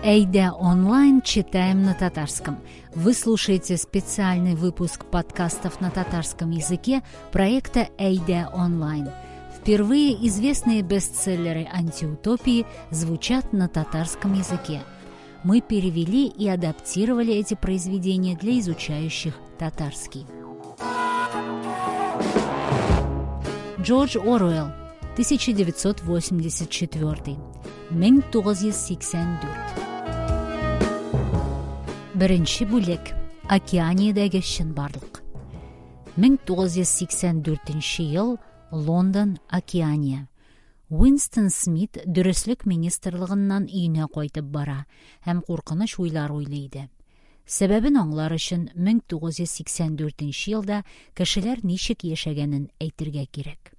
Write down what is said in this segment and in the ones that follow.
Әйдә онлайн читаем на татарском. Вы слушаете специальный выпуск подкастов на татарском языке проекта Әйдә онлайн. Впервые известные бестселлеры антиутопии звучат на татарском языке. Мы перевели и адаптировали эти произведения для изучающих татарский. Джордж Оруэлл, 1984. 1984. Беренче бүлек. Океаниядәге чынбарлык. 1984 ел, Лондон, Океания. Уинстон Смит Дөреслек министрлыгыннан өенә кайтып бара һәм куркыныч уйлар уйлый иде. Сәбәбен аңлар өчен 1984 елда кешеләр ничек яшәгәнен әйтергә кирәк.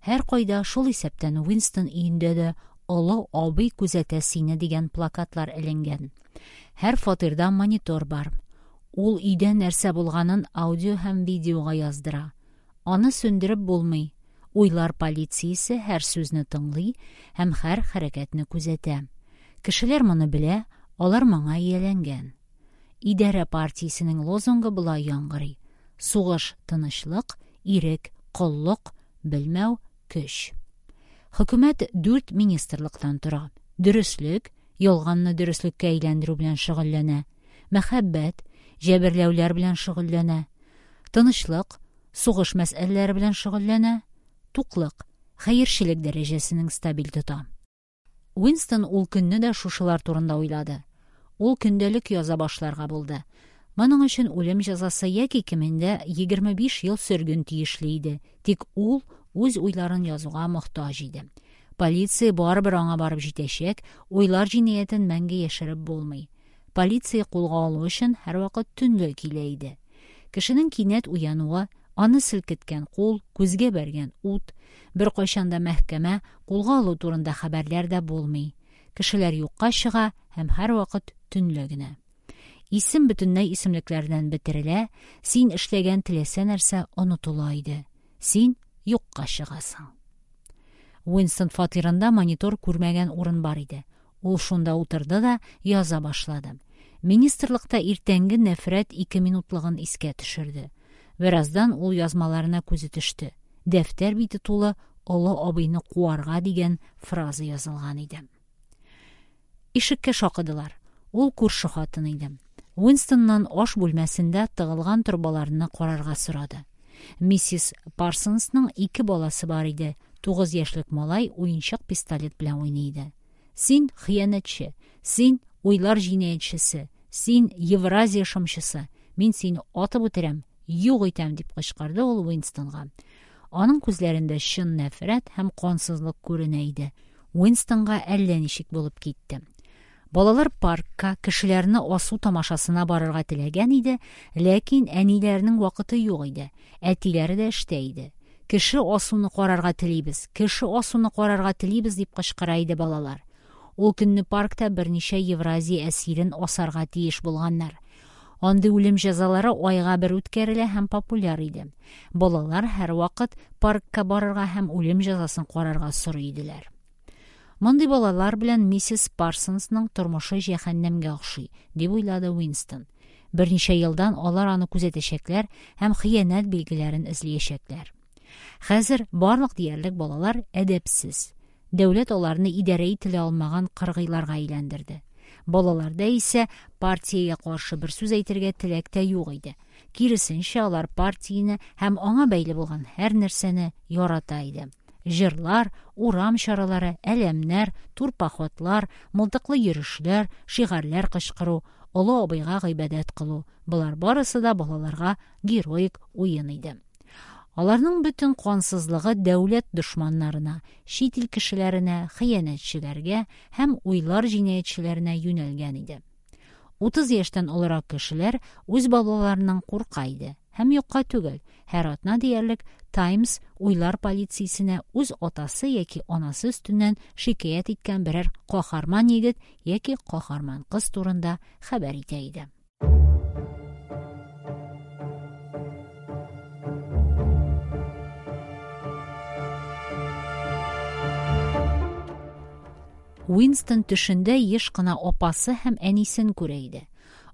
Һәркайда, шул исәптән Уинстон өендә дә Олы абый күзәтә сине дигән плакатлар эленгән. Һәр фатирда монитор бар. Ул өйдә нәрсә булганын аудио һәм видеога яздыра. Аны сүндереп булмый. Уйлар полициясе һәр сүзне тыңлый һәм һәр хәрәкәтне күзәтә. Кешеләр моны белә, алар моңа ияләнгән. Идарә партиясенең лозунгы болай яңгырый: Сугыш тынычлык, ирек коллык, белмәү көч. Хөкүмәт дүрт министрлыктан тора. Дөреслек, ялганны дөреслеккә әйләндерү белән шөгыльләнә. Мәхәббәт, җәберләүләр белән шөгыльләнә. Тынычлык, сугыш мәсьәләләре белән шөгыльләнә. Туклык, хәерчелек дәрәҗәсенең стабиль тота. Уинстон ул көнне дә шушылар турында уйлады. Ул көндәлек яза башларга булды. Моның өчен үлем җәзасы яки кимендә 25 ел сөрген тиешле иде. Тик ул үз уйларын язуга мохтаҗ иде. Полиция барыбер аңа барып җитәчәк, уйлар җинаятен мәңге яшереп булмый. Полиция кулга алу өчен һәрвакыт төнлә килә иде. Кешенең кинәт уянуы, аны селкеткән кул, күзгә бәргән ут, беркайчан да мәхкәмә, кулга алу турында хәбәрләр дә булмый. Кешеләр юкка чыга һәм һәрвакыт төнлә генә. Исем бөтенләй исемлекләрдән бетерелә, син эшләгән теләсә нәрсә онытыла иде. Син юкка чыгасың. Уинстон фатирында монитор күрмәгән урын бар иде. Ул шунда утырды да яза башлады. Министрлыкта иртәнге нәфрәт ике минутлыгын искә төшерде. Бераздан ул язмаларына күзе төште. Дәфтәр бите тулы олы абыйны куарга дигән фраза язылган иде. Ишеккә шакыдылар. Ул күрше хатын иде. Уинстоннан аш бүлмәсендә тыгылган торбаларны карарга сорады. Миссис Парсонсның ике баласы бар иде. 9 яшьлек малай уенчык пистолет белән уйный иде. Син хыянәтче, син уйлар җинаятьчесе, син Евразия шымчысы. Мин сине атып үтерәм, юк итәм, дип кычкырды ул Уинстонга. Аның күзләрендә чын нәфрәт һәм кансызлык күренә иде. Уинстонга әллә ничек булып китте. Балалар паркка, кешеләрне асу тамашасына барырга теләгән иде, ләкин әниләренең вакыты юк иде. Әтиләре дә эштә иде. Кеше асуны карарга телибез, кеше асуны карарга телибез, дип кычкыра иде балалар. Ул көнне паркта берничә Евразия әсирен асарга тиеш булганнар. Андый үлем җәзалары айга бер үткәрелә һәм популяр иде. Балалар һәрвакыт паркка барырга һәм үлем җәзасын карарга сорый иделәр. Мондый балалар белән миссис Парсонсның тормышы җәһәннәмгә охшый, дип уйлады Уинстон. Берничә елдан алар аны күзәтәчәкләр һәм хыянәт билгеләрен эзләячәкләр. Хәзер барлык диярлек балалар әдәпсез. Дәүләт аларны идарә ителә алмаган кыргыйларга әйләндерде. Балаларда исә партиягә каршы бер сүз әйтергә теләк тә юк иде. Киресенчә, алар партияне һәм аңа бәйле булган һәр нәрсәне ярата иде. Җырлар, урам чаралары, әләмнәр, турпоходлар, мылтыклы йөрешләр, шигарьләр кычкыру, олы абыйга гыйбадәт кылу – болар барысы да балаларга героик уен иде. Аларның бөтен кансызлыгы дәүләт дошманнарына, чит ил кешеләренә, хыянәтчеләргә һәм уйлар җинаятьчеләренә юнәлгән иде. 30 яшьтән олырак кешеләр үз балаларыннан курка иде. Һәм юкка түгел, һәр атна диярлек Times уйлар полициясенә үз атасы яки анасы өстеннән шикаять иткән берәр каһарман егет яки каһарман кыз турында хәбәр итә иде. Уинстон төшендә еш кына апасы һәм әнисен күрә иде.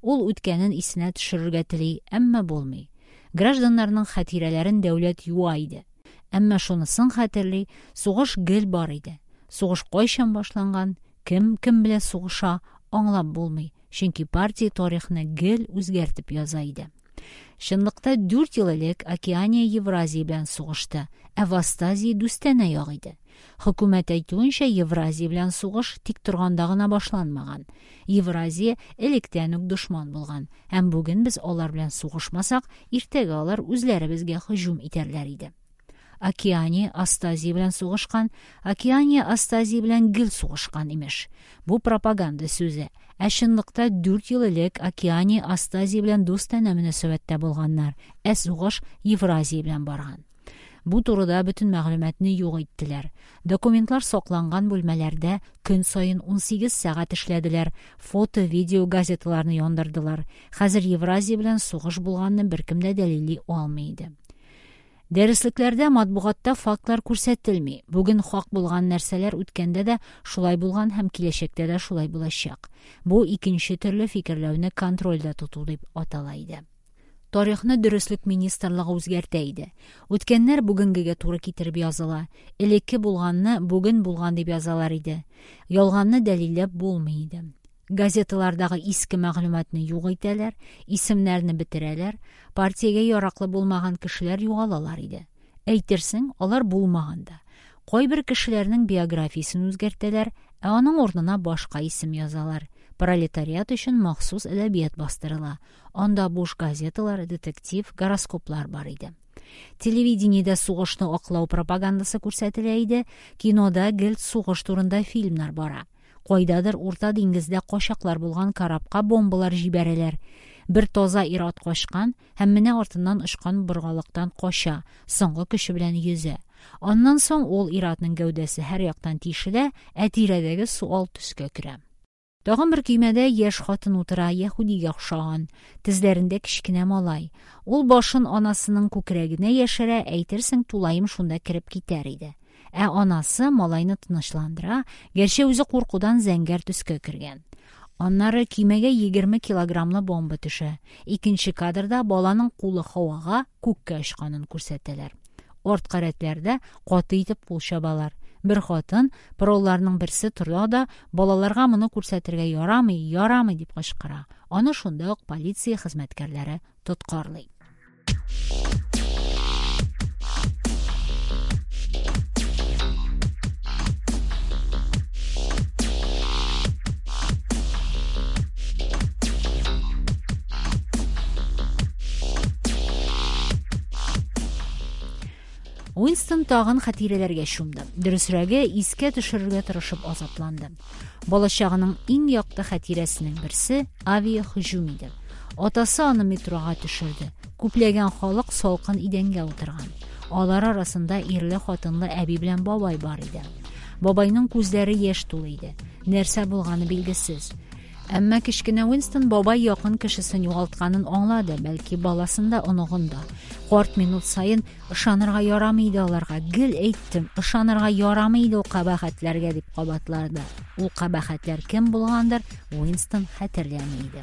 Ул үткәнен исенә төшерергә тели, әмма булмый. Гражданнарның хатирәләрен дәүләт юа иде. Әмма шунысын хәтерли, сугыш гел бар иде. Сугыш кайчан башланган, кем кем белән сугыша, аңлап булмый, чөнки партия тарихны гел үзгәртеп яза иде. Чынлыкта 4 ел элек Океания Евразия белән сугышты, ә Востазия дустанә як иде. Хөкүмәт әйтүенчә, Евразия белән сугыш тик торганда гына башланмаган. Евразия электән үк дошман булган, һәм бүген без алар белән сугышмасак, иртәгә алар үзләре безгә һөҗүм итәрләр иде. Океания Остазия белән сугышкан, Океания Остазия белән гел сугышкан, имеш. Бу пропаганда сүзе. Ә чынлыкта 4 ел элек Океания Остазия белән дустанә мөнәсәбәттә булганнар, ә сугыш Евразия белән барган. Бу турыда бөтен мәгълүматны юк иттеләр. Документлар сакланган бүлмәләрдә көн саен 18 сәгать эшләделәр, фото, видео газеталарны яндырдылар. Хәзер Евразия белән сугыш булганны беркем дә дәлилли алмый иде. Дәреслекләрдә, матбугатта фактлар күрсәтелми. Бүген хак булган нәрсәләр үткәндә дә шулай булган һәм киләчәктә дә шулай булачак. Бу икенче төрле фикерләүне контрольдә тоту дип атала иде. Тарихны дөреслек министрлыгы үзгәртә иде. Үткәннәр бүгенгегә туры китереп языла. Элекке булганны бүген булган дип язалар иде. Ялганны дәлилләп булмый иде. Газеталардагы иске мәгълүматны юк итәләр, исемнәрне бетерәләр, партиягә яраклы булмаган кешеләр югалалар иде. Әйтерсең, алар булмаган да. Кайбер кешеләрнең биографиясен үзгәртәләр, ә аның урынына башка исем язалар. Пролетариат өчен махсус әдәбият бастырыла. Анда буш газеталар, детектив, гороскоплар бар иде. Телевидениедә сугышны аклау пропагандасы күрсәтелә иде, кинода гел сугыш турында фильмнар бара. Кайдадыр Урта диңгездә качаклар булган корабка бомбалар җибәрәләр. Бер таза ир-ат качкан һәм менә артыннан очкан боргалактан кача, соңгы көче белән йөзә. Аннан соң ул ир-атның гәүдәсе һәр яктан тишелә, ә тирәдәге су ал төскә керә. Тагын бер көймәдә яшь хатын утыра, яһүдигә охшаган. Тезләрендә кечкенә малай. Ул башын анасының күкрәгенә яшерә, әйтерсең, тулаем шунда кереп китәр иде. Ә анасы малайны тынычландыра, гәрчә үзе куркудан зәңгәр төскә кергән. Аннары көймәгә 20 килограммлы бомба төшә. Икенче кадрда баланың кулы һавага, күккә очканын күрсәтәләр. Арткы рәтләрдә каты итеп кул чабалар. Бер хатын, пролларның берсе тора да, балаларга моны күрсәтергә ярамый, ярамый дип кычкыра. Аны шунда ук полиция хезмәткәрләре тоткарлый. Уинстон тагын хатирәләргә чумды. Дөресрәге, искә төшерергә тырышып азапланды. Балачагының иң якты хатирәсенең берсе авиаһөҗүм иде. Атасы аны метрога төшерде. Күпләгән халык салкын идәнгә утырган. Алар арасында ирле-хатынлы әби белән бабай бар иде. Бабайның күзләре яшь тулы иде. Нәрсә булганы билгесез. Әмма кечкенә Уинстон бабай якын кешесен югалтканын аңлады, бәлки баласын да, оныгын да. Карт минут саен ышанырга ярамый иде аларга. Гел әйттем, ышанырга ярамый иде ул кабахәтләргә дип кабатлады. Ул кабахәтләр кем булгандыр, Уинстон хәтерләми иде.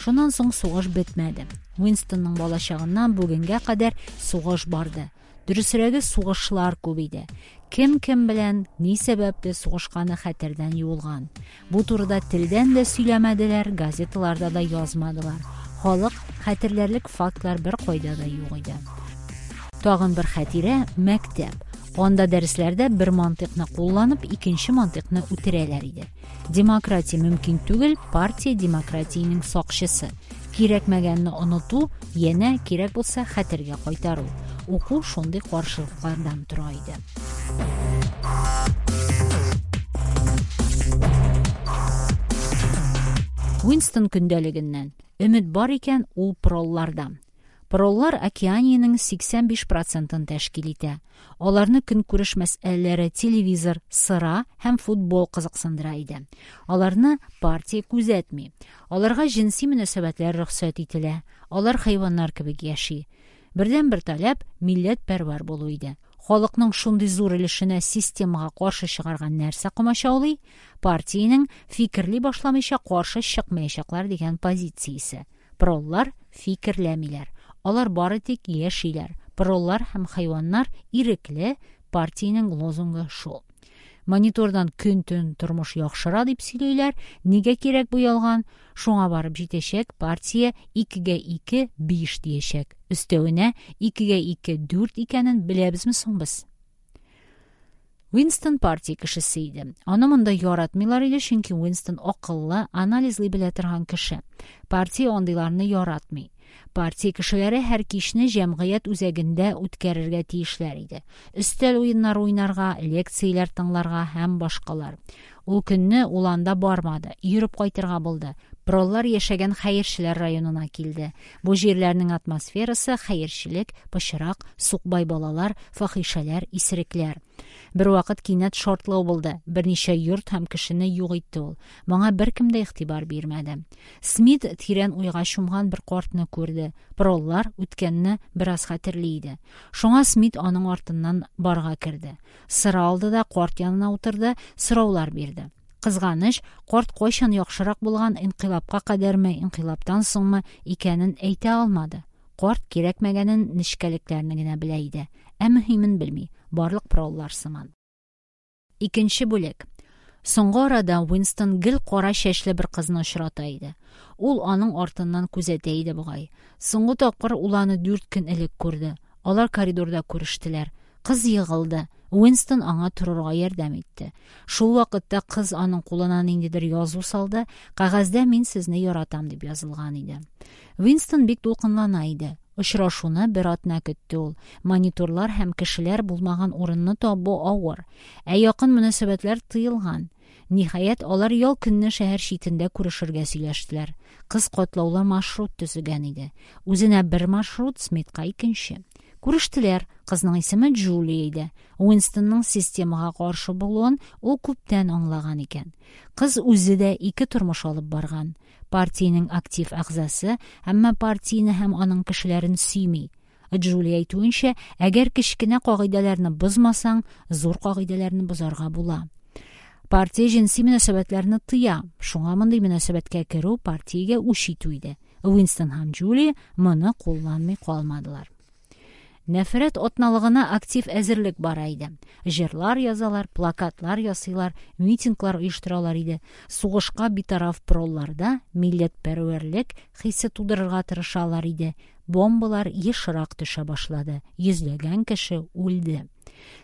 Шуннан соң сугыш бетмәде. Уинстонның балачагыннан бүгенгә кадәр сугыш барды. Дөресрәге, сугышлар күп иде. Кем кем белән, ни сәбәпле сугышканы хәтердән юылган. Бу турыда телдән дә сөйләмәделәр, газеталарда да язмадылар. Халык хәтерләрлек фактлар бер кайда да юк иде. Тагын бер хатирә мәктәп. Анда дәресләрдә бер мантыйкны кулланып, икенче мантыйкны үтерәләр иде. Демократия мөмкин түгел, партия демократиянең сакчысы. Кирәкмәгәнне оныту, янә кирәк булса хәтергә кайтару. Уку шундый каршылыклардан тора иде. Уинстон көндәлегеннән. Өмет бар икән, ул пролларда. Проллар Океаниянең 85%-ын тәшкил итә. Аларны көнкүреш мәсьәләләре, телевизор, сыра һәм футбол кызыксындыра иде. Аларны партия күзәтми. Аларга җенси мөнәсәбәтләр рөхсәт ителә. Алар хайваннар кебек яши. Бердән бер таләп милләтпәрвәр булу иде. Халыкның шундый зур өлешенә системага каршы чыгарга нәрсә комачаулый? Партиянең фикерли башламыйча каршы чыкмаячаклар дигән позициясе. Проллар фикерләмиләр. Алар бары тик яшиләр. Проллар һәм хайваннар ирекле, партиянең лозунгы шул. Монитордан көн-төн тормыш яхшыра дип сөйлиләр. Нигә кирәк бу ялган? Шуңа барып җитәчәк, партия 2-гә 2 – 5 диячәк. Өстәвенә, 2-гә 2 – 4 икәнен беләбезме соң без? Уинстон партия кешесе иде. Аны монда яратмыйлар иде, чөнки Уинстон акыллы, анализлый белә торган кеше. Партия андыйларны яратмый. Партия кешеләре һәр кичне җәмгыять үзәгендә үткәрергә тиешләр иде. Өстәл уеннары уйнарга, лекцияләр тыңларга һәм башкалар. Ул көнне ул анда бармады, йөреп кайтырга булды. Проллар яшәгән хәерчеләр районына килде. Бу җирләрнең атмосферасы хәерчелек, пычрак, сукбай балалар, фахишәләр, исерекләр. Бервакыт кинәт шартлау булды. Берничә йорт һәм кешене юк итте ул. Моңа беркем дә игътибар бирмәде. Смит тирән уйга чумган бер картны күрде. Проллар үткәнне бераз хәтерли иде. Шуңа Смит аның артыннан барга керде. Сыра алды да карт янына утырды, сораулар бирде. Кызганыч, карт кайчан яхшырак булган, инкыйлабка кадәрме, инкыйлабтан соңмы икәнен әйтә алмады. Карт кирәкмәгәнен нечкәлекләрне генә белә иде. Ә мөһимен белми. Барлык проллар сыман. Икенче бүлек. Соңгы арада Уинстон гел кара чәчле бер кызны очрата иде. Ул аның артыннан күзәтә иде бугай. Соңгы тапкыр ул аны 4 көн элек күрде. Алар коридорда күрештеләр. Кыз егылды. Уинстон аңа торырга ярдәм итте. Шул вакытта кыз аның кулына ниндидер язу салды. Кәгазьдә «Мин сезне яратам» дип язылган иде. Уинстон бик дулкынлана иде. Очрашуны бер атна көтте ул. Мониторлар һәм кешеләр булмаган урынны табу авыр. Ә якын мөнәсәбәтләр тыелган. Ниһаять, алар ял көнне шәһәр читендә күрешергә сөйләштеләр. Кыз катлаулы маршрут төзегән иде. Үзенә бер маршрут, Смитка икенче. Күрештеләр. Кызның исеме Джулия иде. Уинстонның системага каршы булуын ул күптән аңлаган икән. Кыз үзе дә ике тормыш алып барган. Партиянең актив әгъзасы, әмма партияне һәм аның кешеләрен сөйми. Джулия әйтүенчә, әгәр кечкенә кагыйдәләрне бозмасаң, зур кагыйдәләрне бозарга була. Партия җенси мөнәсәбәтләрне тыя. Шуңа мондый мөнәсәбәткә керү партиягә үч итү иде. Уинстон һәм Джулия моны кулланмый калмадылар. Нәфрәт атналыгына актив әзерлек бара иде. Җырлар язалар, плакатлар ясыйлар, митинглар оештыралар иде. Сугышка битараф пролларда милләтпәрвәрлек хисе тудырырга тырышалар иде. Бомбалар ешрак төшә башлады. Йөзләгән кеше үлде.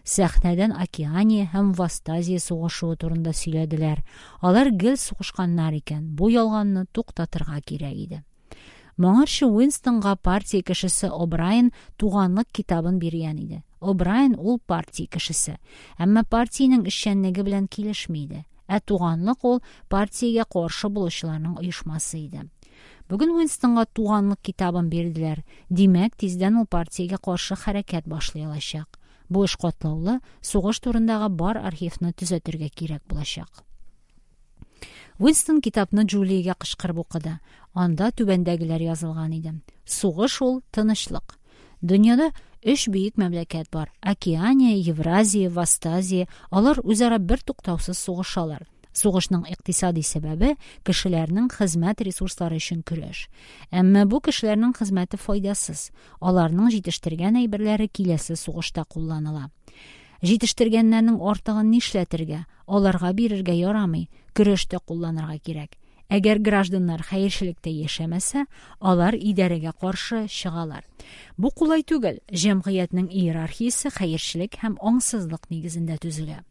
Сәхнәдән Океания һәм Вастазия сугышуы турында сөйләделәр. Алар гел сугышканнар икән. Бу ялганны туктатырга кирәк иде. Моңарчы Уинстонга партия кешесе О'Брайен туганлык китабын биргән иде. О'Брайен ул партия кешесе, әмма партиянең эшчәнлеге белән килешми иде. Ә туганлык ул партиягә каршы булучыларның оешмасы иде. Бүген Уинстонга туганлык китабын бирделәр. Димәк, тиздән ул партиягә каршы хәрәкәт башлый алачак. Бу эш катлаулы, сугыш турындагы бар архивны төзәтергә кирәк булачак. Уинстон китапны Джулиягә кычкырып укыды. Анда түбәндәгеләр язылган иде. Сугыш ул тынычлык. Дөньяда өч бөек мәмләкәт бар. Океания, Евразия, Вастазия. Алар үзара бер туктаусыз сугышалар. Сугышның икътисади сәбәбе кешеләрнең хезмәт ресурслары өчен көрәш. Әмма бу кешеләрнең хезмәте файдасыз. Аларның җитештергән әйберләре киләсе сугышта кулланыла. Җитештергәннәрнең артыгын нишләтергә? Аларга бирергә ярамый, көрәштә кулланырга кирәк. Әгәр гражданнар хәерчелектә яшәмәсә, алар идарәгә каршы чыгалар. Бу кулай түгел. Җәмгыятьнең иерархиясе хәерчелек һәм аңсызлык нигезендә төзелә.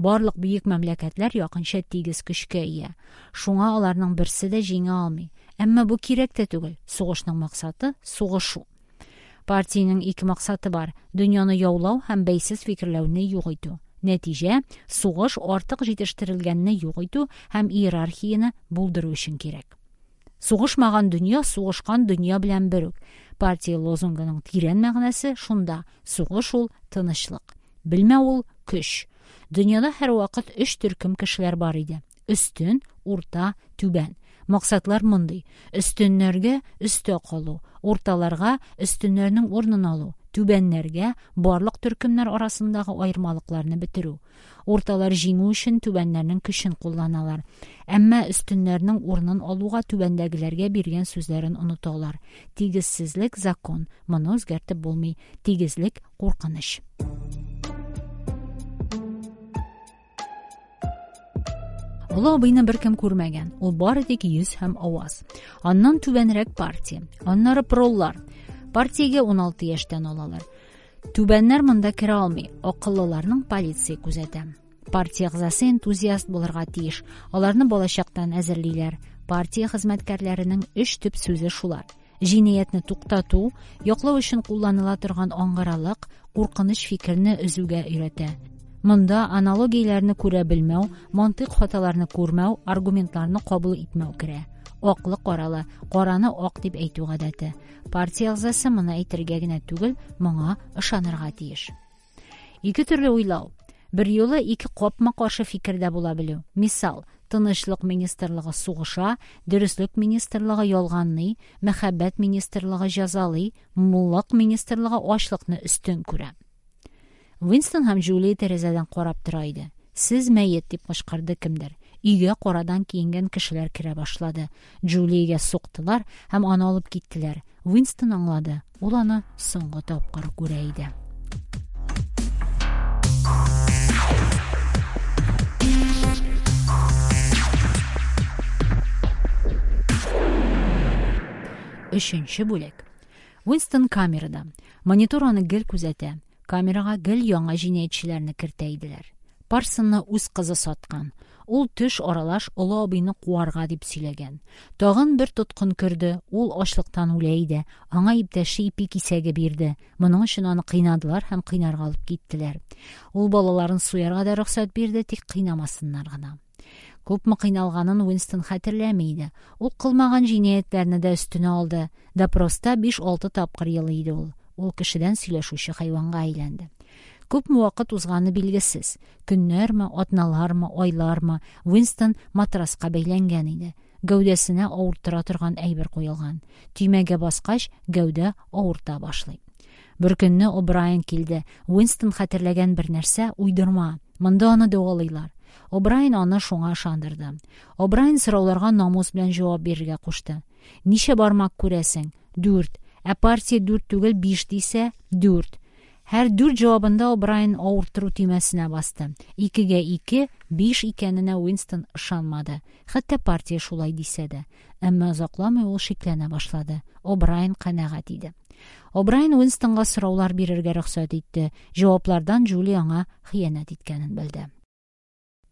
Барлык бөек мәмләкәтләр якынча тигез көчкә ия. Шуңа аларның берсе дә җиңә алмый. Әмма бу кирәк тә түгел. Сугышның максаты сугышу. Партиянең ике максаты бар: дөньяны яулау һәм бәйсез фикерләүне юк итү. Нәтиҗә сугыш артык җитештерелгәнне юк итү һәм иерархияне булдыру өчен кирәк. Сугышмаган дөнья сугышкан дөнья белән бер үк. Партия лозунгының тирән мәгънәсе шунда: сугыш ул тынычлык. Белмәү ул көч. Дөньяда һәрвакыт өч төркем кешеләр бар иде: өстен, урта, түбән. Максатлар мондый: өстеннәргә өстә калу, урталарга өстеннәрнең урынын алу, Түбәннәргә барлык төркемнәр арасындагы аермалыкларны бетерү. Урталар җиңү өчен түбәннәрнең көчен кулланалар. Әмма өстеннәрнең урынын алуга түбәндәгеләргә биргән сүзләрен оныталар. Тигезсезлек – закон, моны үзгәртеп булмый. Тигезлек – куркыныч. Олы абыйны беркем күрмәгән. Ул бары тик йөз һәм аваз. Аннан түбәнрәк партия. Аннары проллар. Партиягә 16 яшьтән алалар. Түбәннәр монда керә алмый. Акыллыларның полиция күзәтә. Партия әгъзасы энтузиаст булырга тиеш. Аларны балачактан әзерлиләр. Партия хезмәткәрләренең өч төп сүзе шулар. Җинаятьне туктату, яклау өчен кулланыла торган аңгыралык, куркыныч фикерне өзүгә өйрәтә. Монда аналогияләрне күрә белмәү, мантыйк хаталарны күрмәү, аргументларны кабул итмәү керә. Аклы-каралы, караны ак дип әйтү гадәте. Партия әгъзасы моны әйтергә генә түгел, моңа ышанырга тиеш. Ике төрле уйлау. Берьюлы ике капма-каршы фикердә була белү. Мисал, Тынычлык министрлыгы сугыша, Дөреслек министрлыгы ялганлый, Мәхәббәт министрлыгы җәзалый, Муллык министрлыгы ачлыкны өстен күрә. Уинстон һәм Джулия тәрәзәдән карап тора иде. «Сез мәет!» дип кычкырды кемдер. Өйгә карадан киенгән кешеләр керә башлады. Джулиягә суктылар һәм аны алып киттеләр. Уинстон аңлады, ул аны соңгы тапкыр күрә иде. Өченче бүлек. Уинстон камерада. Монитор аны гел күзәтә. Камерага гел яңа җинаятьчеләрне кертә иделәр. Парсонны үз кызы саткан. Ул төш аралаш олы абыйны куарга дип сөйләгән. Тагын бер тоткын керде. Ул ачлыктан үлә иде. Аңа иптәше ипи кисәге бирде. Моның өчен аны кыйнадылар һәм кыйнарга алып киттеләр. Ул балаларын суярга да рөхсәт бирде, тик кыйнамасыннар гына. Күпме кыйналганын Уинстон хәтерләми иде. Ул кылмаган җинаятьләрне дә өстенә алды. Допроста 5-6 тапкыр елый иде ул. Ул кешедән сөйләшүче хайванга әйләнде. Күпме вакыт узганы билгесез. Көннәрме, атналармы, айлармы, Уинстон матраска бәйләнгән иде. Гәүдәсенә авырттыра торган әйбер куелган. Төймәгә баскач, гәүдә авырта башлый. Бер көнне О'Брайен килде. Уинстон хәтерләгән бер нәрсә уйдырма. Монда аны дәвалыйлар. О'Брайен аны шуңа ышандырды. О'Брайен сорауларга намус белән җавап бирергә кушты. Ничә бармак күрәсең? Дүрт. Ә партия дүрт түгел, биш дисә, дүрт. Һәр дүрт җавабында О'Брайен авырттыру төймәсенә басты. Икегә ике, биш икәненә Уинстон ышанмады. Хәтта партия шулай дисә дә. Әмма озакламый ул шикләнә башлады. О'Брайен канәгать иде. О'Брайен Уинстонга сораулар бирергә рөхсәт итте. Җаваплардан Джулия аңа хыянәт иткәнен белде.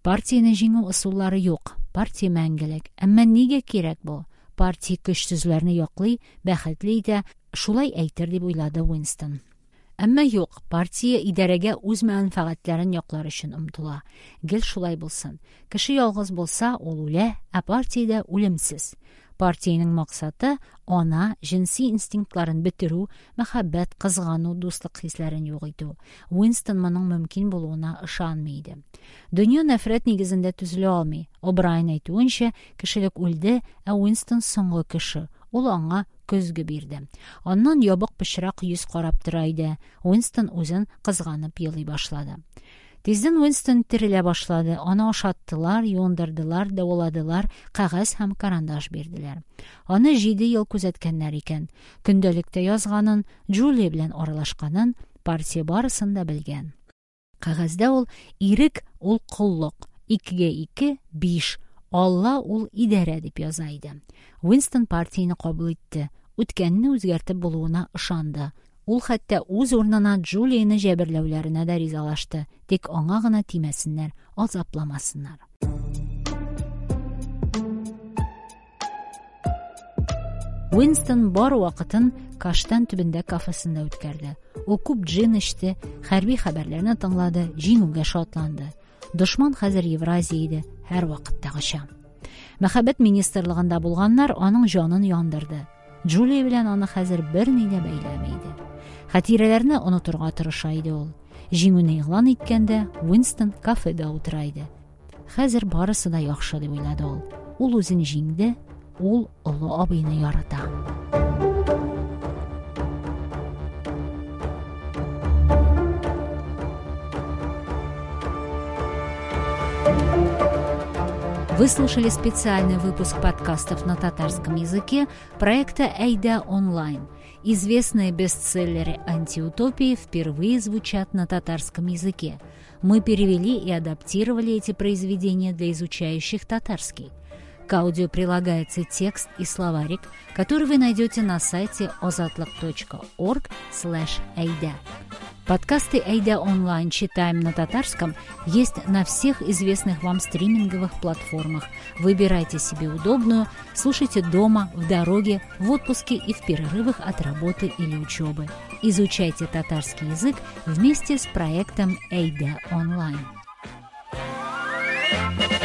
Партияне җиңү ысуллары юк. Партия мәңгелек. Әмма нигә кирәк бу? Партия көчсезләрне яклый, бәхетле итә, шулай әйтер дип уйлады Уинстон. Әмма юк, партия идарәгә үз мәнфәгатьләрен яклар өчен омтыла. Гел шулай булсын. Кеше ялгыз булса, ул үлә, ә партиядә үлемсез. Партиянең максаты ана җенси инстинктларын бетерү, мәхәббәт, кызгану, дуслык хисләрен юк итү. Уинстон моның мөмкин булуына ышанмый иде. Дөнья нәфрәт нигезендә төзелә алмый. О'Брайен әйтүенчә, кешелек үлде, ә Уинстон соңгы кеше. Ул аңа көзге бирде. Аннан ябык пычрак йөз карап тора иде. Уинстон үзен кызганып елый башлады. Тиздән Уинстон терелә башлады. Аны ашаттылар, юындырдылар, дәваладылар, кәгазь һәм карандаш бирделәр. Аны 7 ел күзәткәннәр икән. Көндәлектә язганын, Джулия белән аралашканын партия барысын да белгән. Кәгазьдә ул ирек ул коллык, икегә ике биш, Алла ул идарә дип яза иде. Уинстон партияне кабул итте. Үткәнне үзгәртеп булуына ышанды. Ул хәтта үз урынына Джулияне җәберләүләренә дә ризалашты. Тик аңа гына тимәсеннәр, азапламасыннар. Уинстон бар вакытын Каштан төбендә кафесында үткәрде. Ул күп джин эчте, хәрби хәбәрләрне тыңлады, җиңүгә шатланды. Дошман хәзер Евразия иде, һәр вакыттагыча. Мәхәббәт министрлыгында булганнар аның җанын яндырды. Джулия белән аны хәзер берни дә бәйләми иде. Хатирәләрне онытырга тырыша иде ул. Җиңүне игълан иткәндә Уинстон кафеда утыра иде. Хәзер барысы да яхшы дип уйлады ул. Ул үзен җиңде, ул олы абыйны ярата. Вы слушали специальный выпуск подкастов на татарском языке проекта «Әйдә онлайн». Известные бестселлеры антиутопии впервые звучат на татарском языке. Мы перевели и адаптировали эти произведения для изучающих татарский. К аудио прилагается текст и словарик, который вы найдете на сайте azatliq.org/ayda. Подкасты «Әйдә онлайн. Читаем на татарском» есть на всех известных вам стриминговых платформах. Выбирайте себе удобную, слушайте дома, в дороге, в отпуске и в перерывах от работы или учебы. Изучайте татарский язык вместе с проектом «Әйдә онлайн». Thank you.